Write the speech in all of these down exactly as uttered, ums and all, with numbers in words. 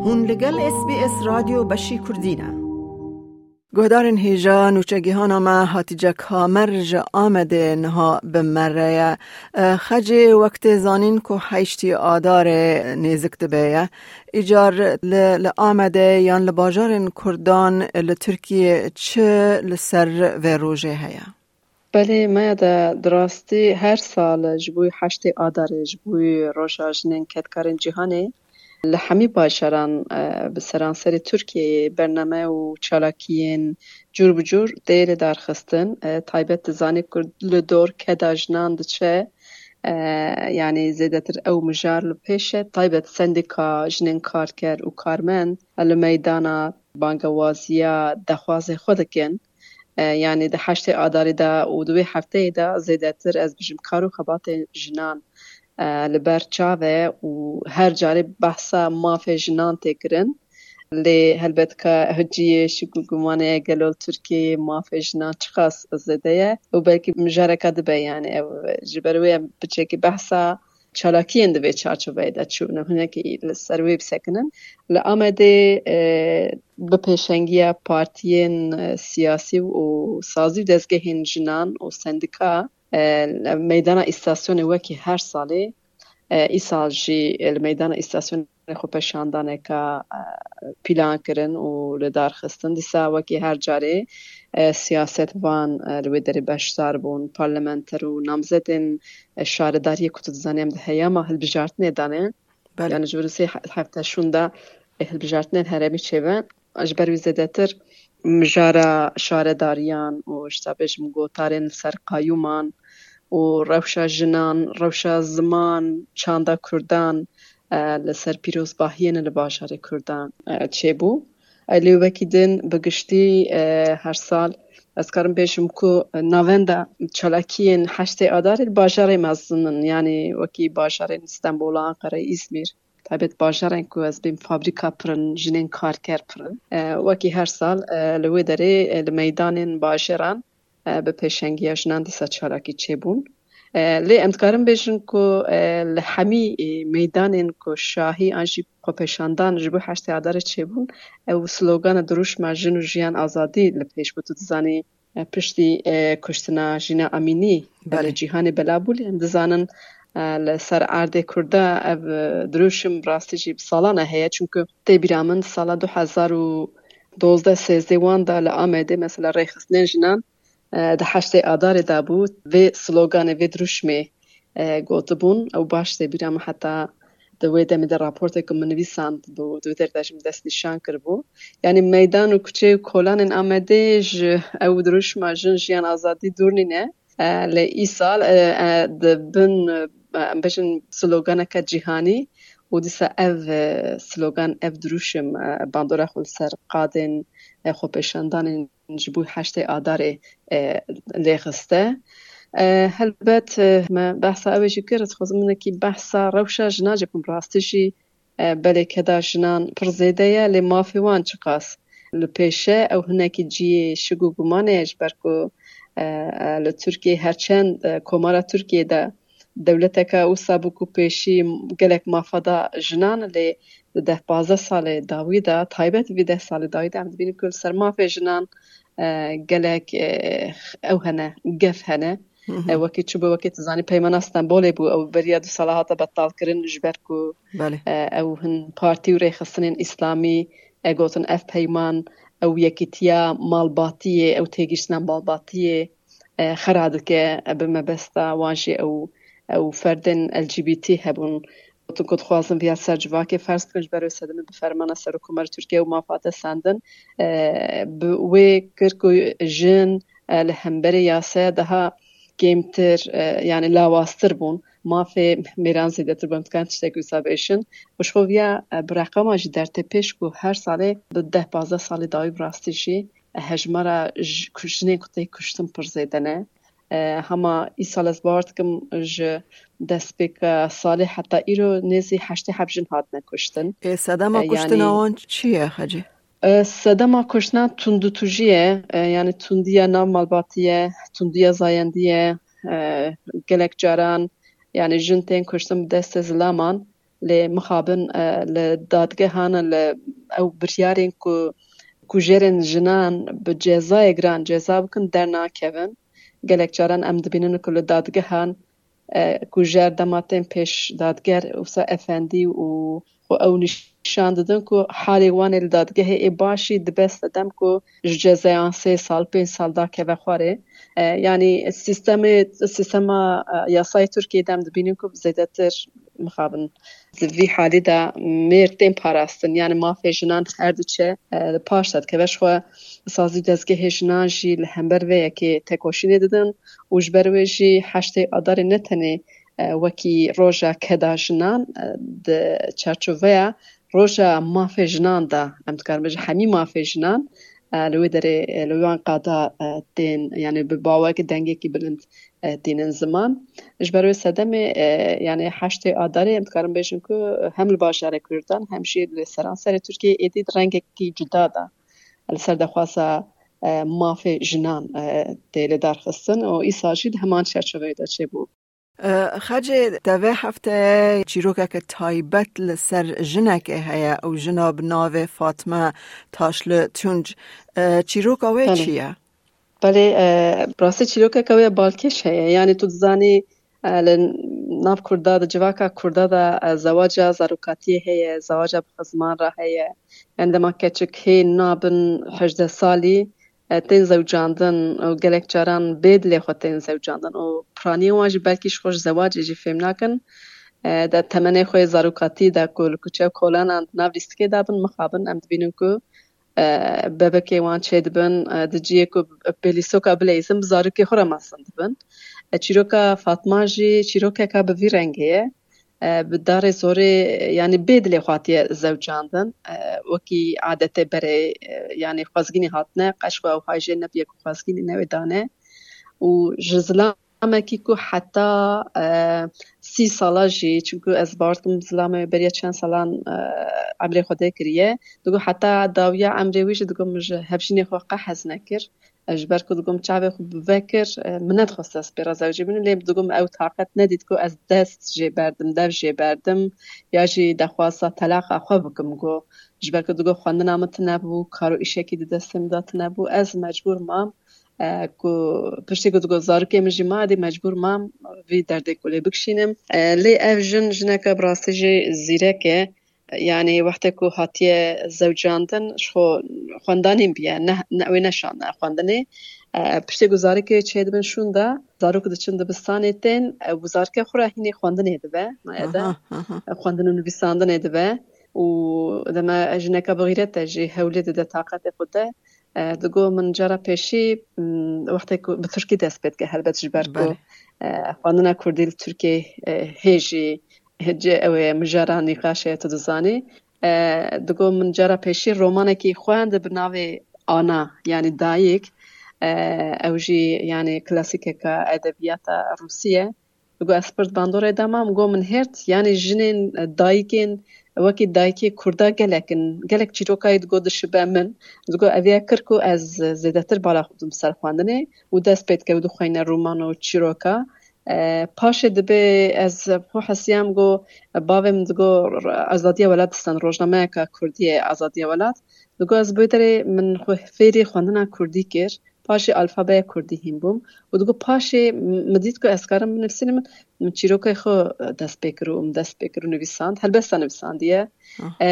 Hûn li gel S B S Radyo Beşî Kurdî ne. Guhdarên hêja nûçegihana me Hatice Kamer ji Amedê niha bi me re ye. E, Xecê wek tê zanîn ku heştê Adarê nêzik dibe ye. Îcar li, li Amedê yan li bajarên Kurdan li Tirkiyê çi li ser vê rojê heye? Belê, me ya de di rastî her sal ji bo heştê Adarê, ji bo roja jinên kedkarên cîhanê, li hemî bajaran, e, bi seranserê Tirkiyeyê bername û çalakiyên cûr bi cûr tê li dar xistin. E, taybet dizanî ku li dor keda jinan diçe, e, yanî zêdetir ew mijar li pêş e. Taybet sendîka jinên karker û karmend li meydana bangewaziya dexwazê xwe dikin. E, yanî di heştê Adarê de û di wê hefteyê de zêdetir, ez bijim, kar û xebatên jinan, e, li ber çav e û her carê behsa mafê jinan tê kirin. Lê helbet ka cihê şik û gumanê ye, gelo li Tirkiyeyê mafê jinan çiqas zêde ye û belkî mijareka dibe, yanî ev ji ber wê em piçekî behsa çalakiyên di vê çarçoveyê de çûn û hinekî li ser wê bisekinin. Li Amedê, e, bi pêşengiya partiyên, e, siyasî û sazî û dezgehên jinan û sendîka, e, meydana îstasyonê wekî her salê, e, îsal jî li meydana îstasyonê xwepêşandaneka, e, plan kirin û li dar xistin. Dîsa wekî her carê, e, siyasetvan, e, li wê derê beşdar bûn, parlamenter û namzedên, e, şaredariyê ku tu dizanî em di heyama hilbijartinê de ne. Belê. Yani ji vir sê he-, hefte şûnda, e, hilbijartinên herêmî çêbe. Ji ber wî zêdetir mijara şaredariyan û, işte, bêjim, gotarên li ser qayûman û rewşa jinan, rewşa ziman, çanda kurdan, e, li ser pîrozbahiyên li bajarê kurdan, e, çêbû. E, lê wekî din bi giştî, e, her sal ez karim bêjim ku navenda çalakiyên heştê Adarê li bajarê mezin in, yanî wekî bajarên Stenbola, Anqerê, Îzmîr, taybet bajarên ku ez bêm fabrîka pir in, jinên karker pir in. E, wekî her sal, e, li wê derê, e, li meydanên bajaran, e, bi pêşengiya jinan dîsa çalakî çêbûn. E, lê em dikarin bêjin ku, e, li hemî, e, meydanên ku şahî an jî xwepêşandan ji bo heştê Adarê çêbûn, ew slogana dirûşma Jin û Jiyan Azadî li pêş bû. Tu dizanî, e, piştî, e, kuştina Jîna Amînî, e, Belê. li cîhanê bela bû, lê em dizanin, e, li ser erdê Kurda ev, e, dirûşim rastî jî bi salan e heye. Çunku tê bîra min sala du hezar û dozdeh sêzdeh wan de li Amedê, mesela, rêxistinên jinan, e, di heştê Adarê de bû, vê sloganê, vê dirûşmê, e, gotibûn. Ew baş tê bîra min, heta di wê demê de raportê ku min nivîsand bû, di wê derê de jî min destnîşan kiribû. Yanî meydan û kuçe û kolanên Amedê ji ew dirûşma Jin, Jiyan, Azadî dûr nîne. E, lê îsal, e, e, di bin, e, em bêjin sloganeke cîhanî û dîsa ev, e, slogan, ev dirûşim, e, bandora xwe li ser qadên, e, xwepêşandanên ji bo heştê Adarê, e, lê xiste. E, helbet, e, me behsa ew ê jî kir, ez dixwazim hinekî behsa rewşa jinan jî bikim. Rastî jî, e, belê keda jinan pir zêde ye, lê mafê wan çiqas li pêş e? Ew hinekî cihê şik û gumanê ye, ji ber ku, e, e, li Tirkiyê, her çend, e, komara Tirkiyê de dewleteke wisa bû ku pêşî gelek mafa da jinan, lê di deh pazdeh salê dawî de, taybet vî deh salê dawî de, em dibînin ku li ser mafê jinan, e, gelek, e, ew hene, gef hene. Hı hı. E, wekî çi bû, wekî tu zanî, Peymana Stenbolê bû, ew beriya du sala hate betalkirin, ji ber ku, Belê. e, ew hin partî û rêxistinên îslamî, e, gotin ev peyman, ew yekîtiya malbatiyê, ew têgihiştina malbatiyê, e, xera dike, e, bi mebesta wan jî ew, ew ferdên L G B T hebûn. Gotin ku dixwazin viya ser civakê ferz bikin, ji ber wê sedemê bi fermana Serokkomara Tirkiye ew mafa te sendin. E, bi wê kir ku jin, e, li hemberî yasaya daha kêmtir, e, yani lawaztir bûn. Mafê mêran zêdetir bûn, em dikarin tiştek wisa bêjin. Û ji xwe viya, e, bi reqama jî dertê pêş ku her salê di deh pazdeh salê dawî bi rastî jî hejmara ji ku-, jinên ku tê kuştin pir zêde ne. E, hema îsal ez bawer dikim ji destpêka salê heta îro nêzî heştê heb jin hatine kuştin. Ê, sedema E, kuştina yani wan çi ye, Xecê? E, sedema kuştina tundûtûjî ye. E, yani tundiya nav malbatî ye, tundiya zayendî ye. E, gelek caran yani jin tên kuştin bi destê zilaman. Lê mixabin, e, li dadgehan li ew biryarên ku kujerên jinan bi cezayê giran ceza bikin dernakevin. Gelek caran em dibînin ku li dadgehan, e, kujer dema tên pêş dadger wisa efendî û xwe ew nîşan didin ku halê wan ê li dadgehê ê baş jî dibe sedem ku ji cezayan sê sal, pênc sal dakeve xwarê. E, yanî sîstemê, sîstema, e, yasayê Tirkiyê de em dibînin ku zêdetir mixabin di vî halî de mêr tên parastin, yanî mafê jinan her diçe, e, li paş de dikeve. Ji xwe sazî dezgehê jinan jî li hember vê yekê tekoşînê didin û ji ber wê jî heştê Adarê ne tenê, e, wekî roja keda jinan, e, di çarçoveya roja mafê jinan de, em dikarin bêjin hemî mafê jinan, e, li wê derê, e, li wan qada, e, tên, yanî bi bawek dengekî bilind, e, tînin ziman. Ji ber wê sedemê, e, yanî heştê Adarê em dikarin bêjin ku hem li bajarê Kurdan hem jî li seranserê Tirkiyeyê êdî di rengekî cuda de li ser daxwaza, e, mafê jinan, e, tê lêdarxistin û îsal jî di heman çerçoveyê de çêbû. E, Xecê, te vê hefte çîrokeke taybet li ser jinekê heye û jina bi navê Fatme Taşlı Tunç. E, çîroka wê Belê. çi ye? Belê, e, rastî çîrokeke wê balkêş heye. Yanî tu dizanî, e, li nav Kurda de, civaka Kurda de, e, zewaca zarokatiyê heye, zewaca bi xizman re heye. Yanî dema keçik hê nabin hejdeh salî, e, tên zewcandin û gelek caran bê dilê xwe tên zewcandin û piraniyên wan jî belkî ji xwe ji zewacê jî fêm nakin. E, de temenê xwe yê zarokatî de ku li kuçe û kolanan di nav lîstikê de bin, mixabin em dibînin ku, e, bebekê wan çêdibin, e, di cihê ku pêlîstoka bileyzin bi zarokê xwe re mezin dibin. E, çîroka Fatma jî çîrokeka bi vî rengê ye. E, bi darê zorê, yanî bê dilê xwe hatiye zewcandin. E, wekî adetê berê, e, yanî xwezgînî hatine, qeş xwe ew hay jê nebiye ku xwezgînî newê dane. Û ji zilamekî ku heta, e, sî sala jî, çunku ez bawer dikim zilamê beriya çend salan, e, emrê xwe dê kiriye. Digo heta dawiya emrê wî jî digo min ji hevjînê xwe qe hez nekir. Ji ber ku digo min çavê xwe bi vekir, e, min nedixwest ez pê re zewcî bim, lê digo min ew taqet nedît ku ez dest jê berdim, dev jê berdim, ya jî daxwaza telaqa xwe bikim. Go, ji ber ku digo xwendina min tune bû, kar û îşekî di destê min de tune bû, ez mecbûr mam, e, ku piştî ku digo zarokê min jî ma, dî mecbûr mam vî derdê ku lê bikişînim. E, lê ev jin, jineke bi rastî jî zîrek e. Yanî wextê ku hatiye zewcandin, ji xwe xwendanîn biye, ne, ne, wê neşane xwendinê. E, piştê ku zarokê çêdibin şûnda, zarok diçin dibistanê tên, e, û zarokê xwe re hînê xwendinê dibe, maye de. Aha, aha. E, xwendin û nivîsandinê dibe. Û dema jineka bi xîret e jî hewlê dide taqetê xwe de. E, digo min cara pêşî, m, wextê ku bi tirkî dest pê dike, helbet ji ber ku, Belê. e, xwendina kurdî li Tirkiyeyê, e, hê jî hê cê ew ê mijara nîqaşê tu dizanî. E, digo min cara pêşî romanekî xwend bi navê Ana, yanî Dayik. E, ew jî, yanî, klasîkeka edebiyata Rûsî ye. Digo ez pir di bandorê de mam, go min hêrt, yanî jinên, e, dayikên wekî dayikê Kurda gelek in. Gelek çîrokayê digo dişibe min. Digo ev ya kir ku ez zêdetir bala xwe bidim ser xwendinê û dest pê dike û dixweyne roman û çîroka. E, paşê dibê ez xwe hesiyam go, bavê min digo, Azadiya Welat distend, rojnameyeka kurdî ye, Azadiya Welat. Digo ez bi wê derê min xwe fêrî xwendina kurdî kir. Paşê alfabeya kurdî hîn bûm. Û digo paşê min dît ku ez karim binivîsînim, min çîrokê xwe dest pê kir û min dest pê kir û nivîsand. Helbesta nivîsandiye. Ah. E,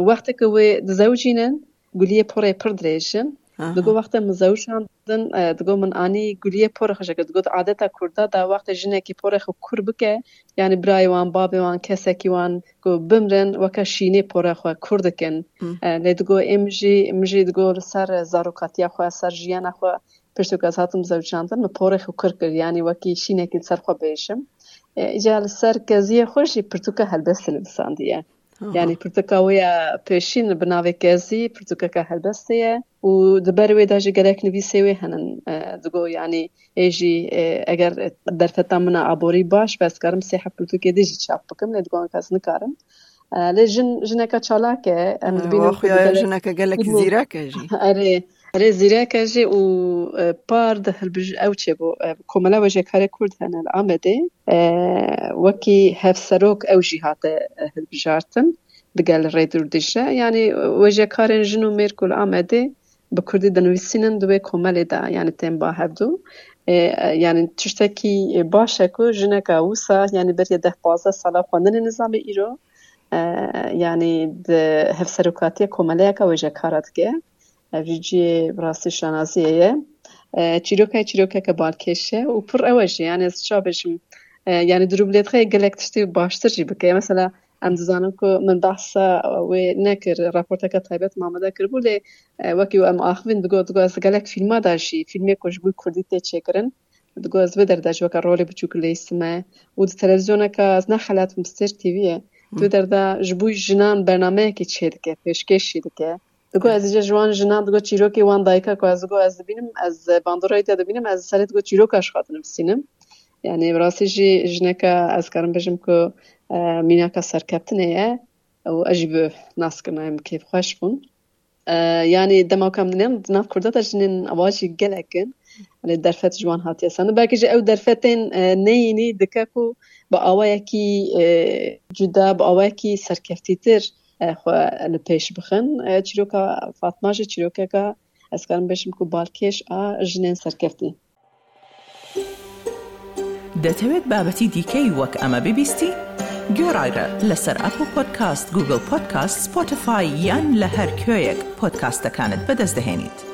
wextê ku wê dizewicînin, guliyê porê pir dirêj in. Aha. Digo wextê min zewicandin, e, digo min anî guliyê porê xwe jê kir. Digo di adeta Kurda de wextê jinekî porê xwe kur bike, yanî birayê wan, bavê wan, kesekî wan ku bimrin, weke şînê porê xwe kur dikin. Hı. E, lê digo ê min jî, min jî digo li ser zarokatiya xwe, ser jiyana xwe, piştî ku ez hatim zewicandin, min porê xwe kur kir, yanî wekî şînekî li ser xwe bêjim. E, îca li ser keziyê xwe jî pirtûka helbestê nivîsandiye. Aha. Yanî pirtûka wê ya pêşîn bi navê Kezî, pirtûkeke helbestê ye û di ber wê de jî gelek nivîsê wê henin. E, digo, yanî ê jî, e, eger derfeta min a aborî baş be, ez karim sê heb pirtûkê dî jî çap bikim, lê digo ez nikarim. E, lê jin, jineke çalak e, em E, dibînin wa ku xuya bi ya gelek jineke gelek Û zîrek e jî. Erê, Erê, zîreke jî û, e, par di hilbij-, ew çêbû, e, komela wêjekarê Kurd hene li Amedê, e, wekî hevserok ew jî hate, e, hilbijartin digel Rêdûr Dîcle. Yanî wêjekarên jin û mêr ku li Amedê bi kurdî dinivîsînin di wê komelê de, yanî tên ba hevdû. E, e, yanî tiştekî baş e ku jineka wisa, yanî beriya deh pazdeh sala xwendinê nizamê îro, e, yanî di hevserokatiya komeleyeke wêjekara dike. Ev jî cihê bi rastî şanaziyê ye. E, çîroka çîrokeke balkêş e û pir ew e jî, yanî ez çawa bêjim, e, yanî durûblêdxê gelek tiştî baştir jî bike. Mesela em dizanin ku min behsa wê nekir, raporteke taybet Mamed kiribû, lê, e, wekî em axivîn digot, digot ez gelek fîlma de jî, fîlmê ku ji bo kurdî tê çêkirin, digot ez vê derde jî weke rolê biçûk leyîstime û di televîzyoneke, ez nexelatim, Stêrk T V ye. Di vê derde ji bo jinan bernameyekî çêdike, pêşkêş jî dike. Digot ez jî ji wan jinan, digot çîrokê wan dayika ku ez digot ez dibînim, ez bandorayê te dibînim, ez serê digot çîroka ji xwe dinivîsînim. Yanî bi rastî jî jineke ez karim bêjim ku, e, mînaka serkeftinê ye û ez jî bi naskirina em kêfxweş bûn. E, yanî dema ku em dinêm, di nav Kurda de jinên ewa jî gelek in. Lê derfet ji wan hatiye sandin. Belkî jî ew derfetên, e, neyînî dike ku bi awayekî, e, cuda, bi awayekî serkeftîtir, e, xwe li pêş bixin. E, çîroka Fatma jî çîrokeka, ez karim bêjim ku balkêş a jinên serkeftî. دەتەوێت بابەتی دیکەی وەک ئەمە ببیستی؟ گوێڕایرە لەسەر ئەپڵ پۆدکاست، گوگڵ پۆدکاست، سپۆتیفای یان لە هەر کوێیەک پۆدکاستەکانت بەدەست دەهێنیت.